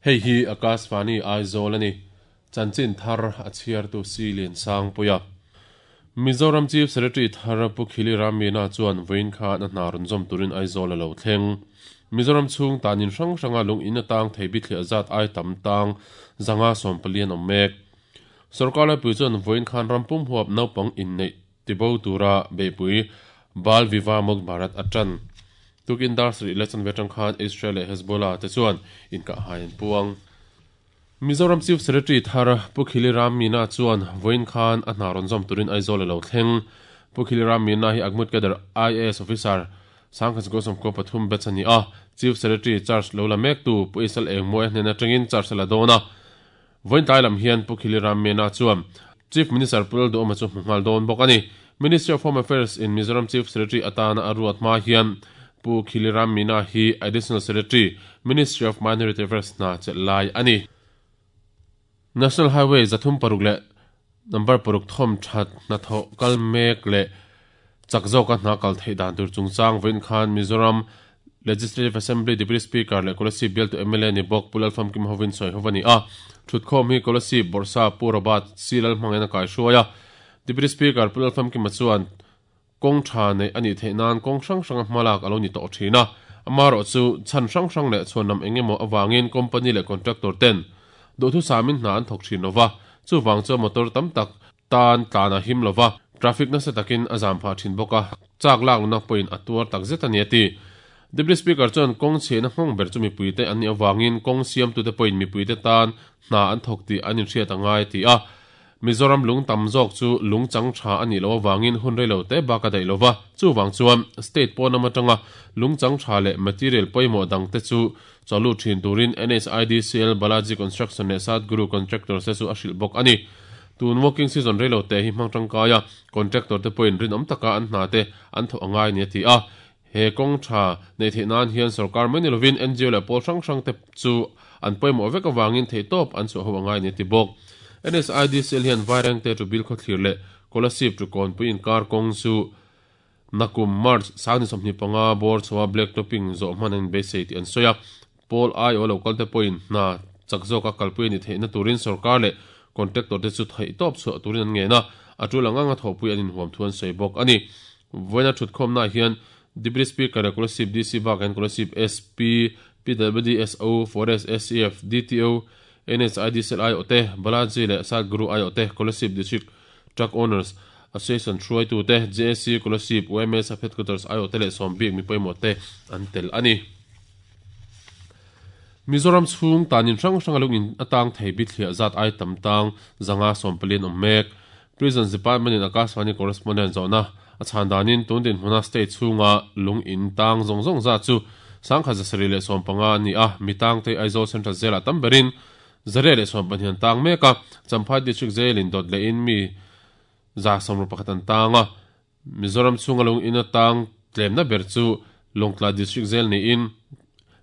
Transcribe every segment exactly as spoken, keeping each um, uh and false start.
Hei hi Akashvani Aizawl ani. Chanchin thar a chhiar tu si lian sang puia. Mizoram Chief Secretary thar Pu Khili Ram Meena chuan vawiin khan a hna rawn zawm turin Aizawl a lo thleng. Mizoram chhung tanin hrang hranga lung in atang thei bithliah zat ai tam tang zanga sawm pali an awm mek. Sorkar laipui chuan vawiin khan rampum huap naupang inneih tibo tura beihpui Bal Vivah Mukt Bharat a tan. Tukin dar sarih leh chanve atang khan Israel leh Hezbollah te chuan inkahhai an puang. Mizoram Chief Secretary thar Pu Khili Ram Meena chuan vawiin khan a hna rawn zawm turin Aizawl a lo thleng. Pu Khili Ram Meena hi Agmut Cadre I A S Officer Sangkhat Gosawmkaw pathum batch a ni a. Chief Secretary charge lo la mektu Pu Isal Engmawia hnen atangin charge a la dawn a. Vawiin tlai lam hian Pu Khili Ram Meena chuan Chief Minister Pu Lalduhawma chu hmu nghal dawn bawk a ni. Ministry of Home Affairs in Mizoram Chief Secretary atana a ruat hma hian Pu Khili Ram Meena hi Additional Secretary, Ministry of Minority Affairs hna chelh lai a ni. National Highway zathum paruk leh number paruk thawm that hnathawh kal mek leh chak zawka hna kal theih dan tur chungchang vawiin khan Mizoram Legislative Assembly Deputy Speaker leh Kolasib bialtu M L A ni bawk Pu Lalfamkim hovin sawi ho a ni a. Thutkhawm hi Kolasib Bawrhsa Pu Robert C Lalhmangin a kaihruai a. Deputy Speaker Pu Lalfamkima chuan kawng tha neih a nih theih nan kawng hrang hranga hmalak a lo ni tawh thin a. Amaherawh chu chhan hrang hrang leh chhuanlam eng emaw avangin company leh contractor ten duhthu samin hna an thawk thin lova, chuvang chuan motor tam tak tan tlan a him lova, traffic nasa takin a zam phah thin bawk a, chak lak luna pawhin a tuar tak zet a ni a ti. Deputy Speaker chuan kawng chhiahna nghawng ber chu mipuite an nih avangin kawng siamtute pawhin mipuite tan hna an thawk tih an inhriat a ngai ti a. Mizoram lung tam zawk chu lung chang tha a nih loh avangin hun rei lo te bak a daih lova, chuvang chuan state pawn lam atanga lung chang tha leh material pawimawh dang te chu chawlu thin turin N H I D C L Balaji Construction leh Sadguru Contractors te chu a hrilh bawk a ni. Tun working season rei lo te hi hmang tangkai a, contractor te pawhin rinawm taka an hna te an thawh a ngai ni a ti a. He kawng tha neih theih nan hian sarkar mai ni lovin N G O leh pawl hrang hrang te chu an pawimawh vek avangin theihtawp an chhuah ho a ngai ni a ti bawk. N S I D C L hian Vaireng te chu bil khawthlir leh Kolasib chu kawnpui inkar kawng chu nakum March sangni sawmhnih panga bawr chhoa black topping zawh hman an beisei tih an sawi a. Pawl I O local te pawhin hna chak zawka kalpui a ni theihna turin sarkar leh contractor te chu theihtawp chhuah turin an ngen a, a tul ang anga thawhpui an inhuam thu an sawi bawk a ni. Vawiina thutkhawmna hian Deputy Speaker leh Kolasib D C bak hian Kolasib S P, P W D S O, Forest S C F, D T O, N H I D C L I O te, Balaji leh Sadguru I O te, Kolasib District Truck Owners Association hruaitu te, J A C Kolasib, U M S Headquarters I O te leh sawmbik mi pawimawh te an tel a ni. Mizoram chhung tanin hrang hranga lung in atang thei bithliah zat ai tam tang zanga sawm pali an awm mek. Prisons Department in Akashvani correspondent zawhna a chhan danin tun din hmuna state chhunga lung in tang zawng zawng zat chu sangkhat zasarih leh sawm panga an ni a, mi tang te Aizawl Central Jail ah tam berin zariah leh sawm pahnih an tang mek a, Champhai District Jail in dawt leh in mi za sawmru pakhat an tang a. Mizoram chhunga lung in atang tlemna ber chu Lawngtlai District Jail niin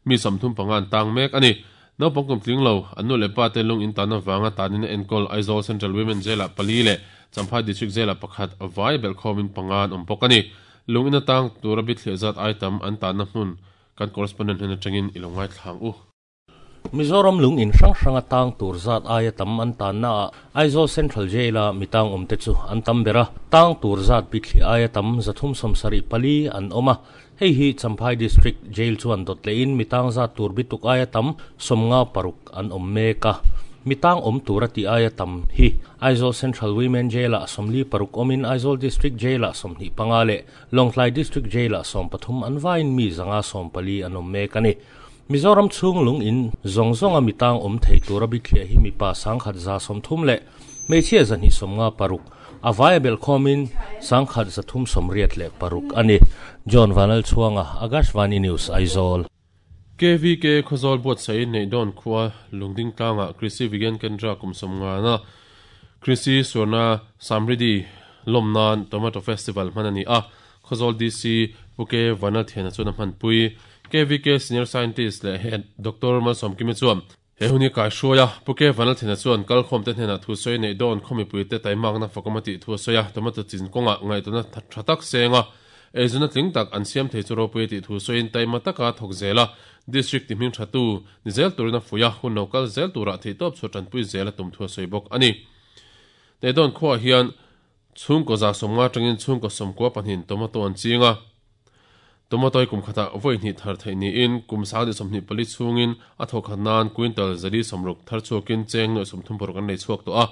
mi sawmthum panga an tang mek a ni. Naupang kum tling lo, an nu leh pa te lung in tan avanga tanin a enkawl Aizawl Central Women Jail ah pali leh Champhai District Jail ah pakhat vai belhkhawmin panga an awm bawk a ni. Lung in atang tura bithliah zat ai tam an tanna hmun kan correspondent hnen atangin i lo ngai thlang u. Mizoram lung in hrang hranga tang tur zat aia tam an tanna ah Aizawl Central Jail a mitang awm te chu an tam ber a, tang tur zat bithliah aia tam zathum sawmsarih pali an awm a. Hei hi Champhai District Jail chuan dawt leh in mitang zat tur bituk aia tam sawmnga paruk an awm mek a. Mitang awm tur a tih aia tam hi Aizawl Central Women Jail ah sawmli paruk awmin Aizawl District Jail ah sawmhnih panga leh Lawngtlai District Jail ah sawm pathum an vaiin mi zanga sawm pali an awm mek a ni. Mizoram chhung lung in zawng zawnga mitang awm thei tura bithliah hi mipa sangkhat za sawmthum leh hmeichhia zahnih sawmnga paruk a vaia belhkhawmin sangkhat zathum sawmriat leh paruk a ni. John Vanal Chhuanga, Akashvani News, Aizawl. K V K Khawzawl buatsaih neih dawn khua Lungding tlangah Krishi Vigyan Kendra kum sawmngana Krishi Swarna Samriddhi lawm nan Tomato Festival hman a ni a. Khawzawl D C Pu K Vanal Thiana chuan a hmanpui. K V K Senior Scientist leh Head Doctor Malsawmkimi chuan he hun hi kaihruai a. Pu K Vanal Thiana chuan kalkhawm te hnenah thu sawi neih dawn khaw mipuite taimakna fakawm a tih thu a sawi a. Tomato chin kawngah ngaihtuahna tha tak seng a. Ezuna tling tak an siam thei chu ropui ti thu soin taima taka thok zela district ti hming thatu ni zel turina fuya hun local zel tura thei top chu tanpui zela tum thu soibok ani. Te don khuwa hian chung ko za somnga tangin chung ko somkwa panin tomato an chinga tomato kum khata voi ni thar thei ni in kum sa de somni pali chungin a thok khanan quintal zari somruk thar chukin cheng no somthum por kan nei chuak to a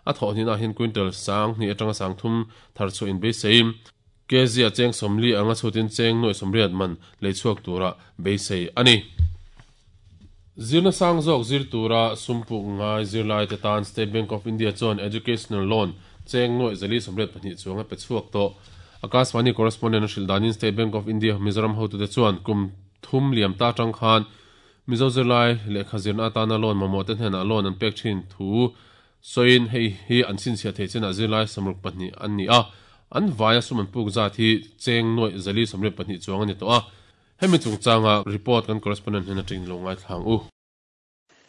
a tho ni na hin quintal sang ni atanga sang thum thar chu in be seim kezia cheng somli anga chutin cheng noi somriat man le chuak tura be sei ani. Zirna sang zok zir tura sumpu ngai zirlai te tan State Bank of India chuan educational loan cheng noi zali somriat pahnih chuanga pe chuak to. Akashvani correspondent Shildanin State Bank of India Mizoram ho tu te chuan kum thum liam ta tang khan Mizo zirlai le khazirna atana loan mamo te hna loan an pek thin thu soin hei hi an sin sia thei chena zirlai samruk pahnih an ni a an vaya suman puk za thi cheng noi zali somriat pahnih chuang ani to a hemi chungchanga report kan correspondent hena ting longai thlang u.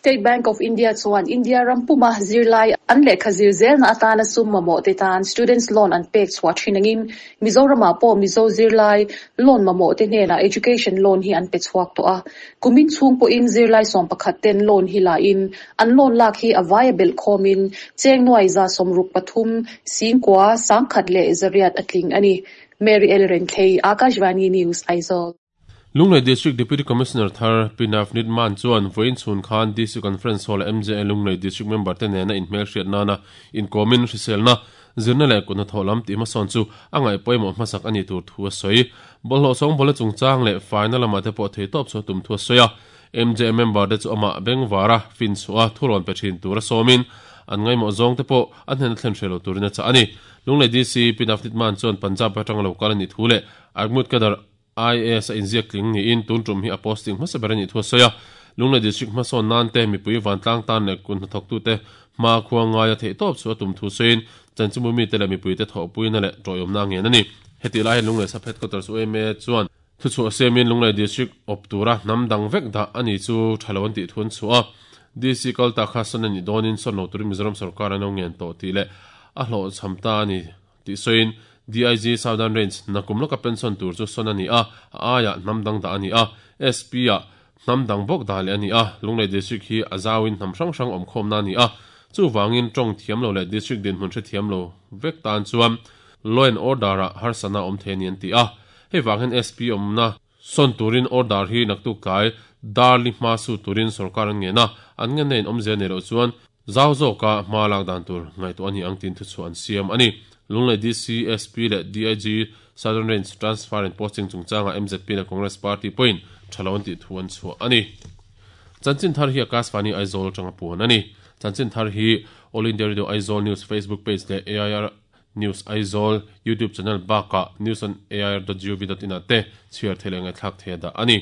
State Bank of India chuan India rampuma zirlai an lekha zir zel na atana sum mamo te tan students loan an pek chhuah thinangin Mizoram ah pawh Mizo zirlai loan mamo te hnenah education loan hi an pe chhuak tawh a kumin chhung pawhin zirlai sawm pakhat ten loan hi la in an loan lak hi a viable khawmin cheng nuai za sawmruk pathum singkua sangkhat leh zariat a tling ani. Mary L. Renthei, Akashvani News, Aizawl. Lunglei District Deputy Commissioner Thar Pinaf Nitman chuan voin chhun khan D C Conference Hall M J A Lunglei District Member te nena in hmel hriat nana in komin hriselna zirna leh kutna tholam ti hmasawn chu a ngaih pawimawh hmasak ani tur thu a sawi. Bawlhhlawh sawng bawla chungchang leh faina lama te pawh thei tawp chu tum thu a sawi a. M J A member te chu amah bengvara fin chhuah thurawn pe thin tur a sawmin an ngaimawh zawng te pawh an hnena thlen hrelo turin a chah ani. Lunglei D C Pinaf Nitman chuan Punjab atanga local ani thu leh Agmut Kadar I A S a inziak tling ni in tun tum hi a posting hmasa ber ani thu a sawi a. Lunglei District hmasawn nan te mipui vantlang tan leh kun hnathawk tu te hma khua ngaia theih tawp chu a tum thu sawiin chanchimbu mi te leh mipui te thawhpuina leh tawihawmna ngen ani. Heti lai hian Lunglei Sub Headquarters U M A chuan thu chhuah siamin Lunglei District awp tura hnam dang vek dah ani chu thalo an tih thun chhuah a. D C kalta kha sawn ani dawnin sawn lo turin Mizoram sarkar an lo ngen tawh tih leh a hlawh cham ta ani tih sawiin D I G Southern Range nakum loka pension tur chu sawn ani a aia hnam dang dah ani a S P a hnam dang bawk dah leh ani a. Lunglei District hi a zawin hnam hrang hrang awm khawm na ani a chu wangin tawng thiam lo leh district din hmun hre thiam lo vek tan chuan law and order a harsana awm thei ani an ti a. Hei wang hian S P awmna sawn turin order hi naktuk tlai darli hma su turin sarkar an ngen a an ngen na in awm zel nei loh chuan zau zawka hma lak dan tur ngaihtuah ani ang tin thu chu an siam ani. Lunglei D C S P leh D I G Southern Range Transfer and Posting chungchanga M Z P leh Congress Party pawhin thalo an tih thu an chhuah ani. Chanchin thar hi Akashvani Aizawl tanga puan ani. Chanchin thar hi All India Radio Aizawl News Facebook page leh A I R News Aizawl YouTube channel baka news on A I R dot gov dot in ate chhiar thei leh ngaihthlak thei da ani.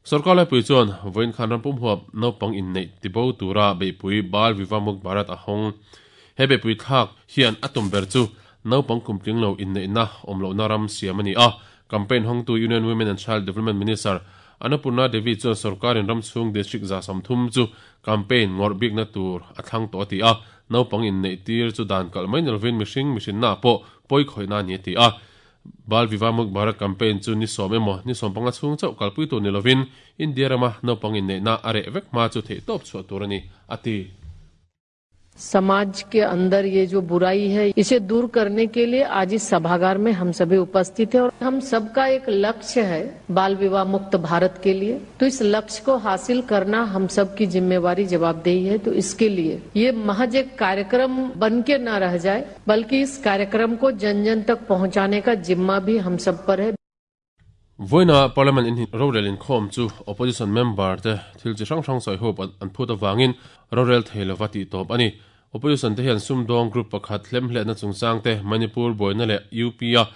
Sarkar lai pui chuan voin khan rampum huap naupang in nei tibo tura beipui Bal Vivah Mukt Bharat a hawng. He beipui thlak hian atum ber chu naupang kumtling lo in nei na awmlo na ram siam ani a. Campaign hawng tu Union Women and Child Development Minister Annapurna Devi chuan sarkarin ram chhung district za samthum chu campaign ngawr bik na tur a thlang tawh ti a. Naupang in nei tir chu dan kal mai nilvin mihring mihrin na pawh pawi khawih na ni ti a. Bal Vivah Mukt Bharat campaign chu ni sawm emaw ni sawm panga chhung chauh kalpui tur ni lovin India rama naupang in nei na a reh vek hma chu theih tawp chhuah tur ani ati. समाज के अंदर ये जो बुराई है इसे दूर करने के लिए आज इस सभागार में हम सभी उपस्थित हैं और हम सबका एक लक्ष्य है बाल विवाह मुक्त भारत के लिए, तो इस लक्ष्य को हासिल करना हम सब की जिम्मेवारी जवाबदेही है। तो इसके लिए ये महज एक कार्यक्रम बन के न रह जाए बल्कि इस कार्यक्रम को जन जन तक पहुंचाने का जिम्मा भी हम सब पर है। Voina Parliament in Rorel in khom chu opposition member te thil chi hrang hrang sawi hope an phut awangin Rorel theilova tih tawp ani. Opposition te hian sumdawng group pakhat hlemhle na chungchang te Manipur boina leh U P a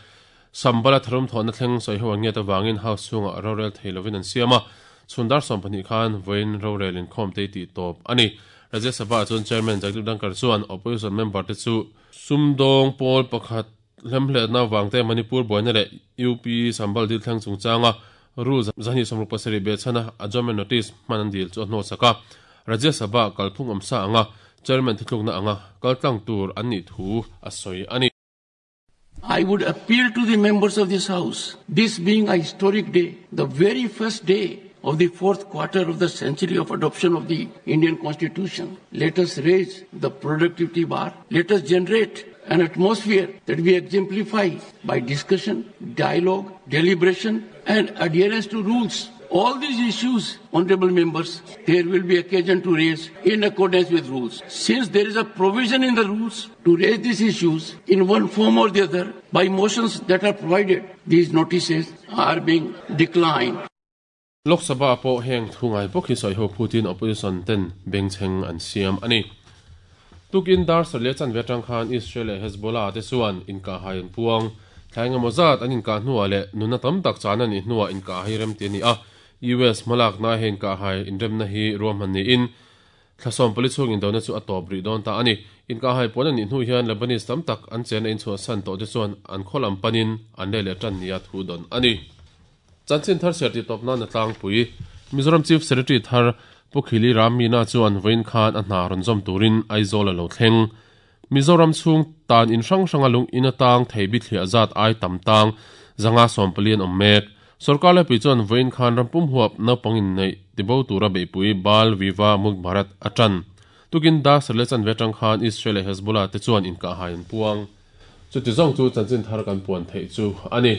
Sambala tharum thawhna thleng sawi ho an ngiat awangin house chhungah Rorel theilovin an siam a. Chhundar sawm pahnih khan voin Rorel in khom te tih tawp ani. Rajya Sabha chuan chairman Jagdeep Dhankhar chuan opposition member te chu sumdawng pawl pakhat hlemhle na wangte Manipur boina leh U P Sambal dil thleng chungchanga rules zani samruk pasarih be chana adjournment notice hman an dil chu a hnaw saka. Rajya Sabha kalphung awmsa anga chairman thuthlukna anga kaltlang tur an nih thu a sawi ani. I would appeal to the members of this House, this being a historic day, the very first day of the fourth quarter of the century of adoption of the Indian Constitution. Let us raise the productivity bar. Let us generate an atmosphere that we exemplify by discussion, dialogue, deliberation, and adherence to rules. All these issues, honorable members, there will be occasion to raise in accordance with rules. Since there is a provision in the rules to raise these issues in one form or the other by motions that are provided, these notices are being declined. Lok Sabha pawh heng thungai bawk hi sawi ho phutin opposition ten bengchheng an siam ani. Tukin dar sarle chan ve tang khan Israel leh Hezbollah te chuan inka hai an puang thlainga mozat an inka hnuah leh nuna tam tak chan ani hnuah inka hai rem ti ani a U S malak na hen ka hai inremna hi ruamhan ni in thlasom pali chung in dona chu atop ri don ta ani inka hai pon ani hnu hian Lebanese tam tak an chen in chu san to te chuan an kholam panin an le le tan nia thu don ani. Chanchin thar serti top na tlang pui Mizoram Chief Secretary thar Pukhili Ram Meena chuan vain khan a hna rawn zawm turin Aizawl a lo thleng Mizoram chhung tan in hrang hranga lung in atang thei bi thliah zat ai tam tang zanga sawm palian awm mek sarkar le pui chuan vain khan rampum huap naupangin nei tibo tura beipui Bal Viva Muk Bharat atan tukin da sarle chan ve tang khan Israel leh Hezbollah te chuan inka hai an puang chuti zawng chu chanchin thar kan puan thei chu ani.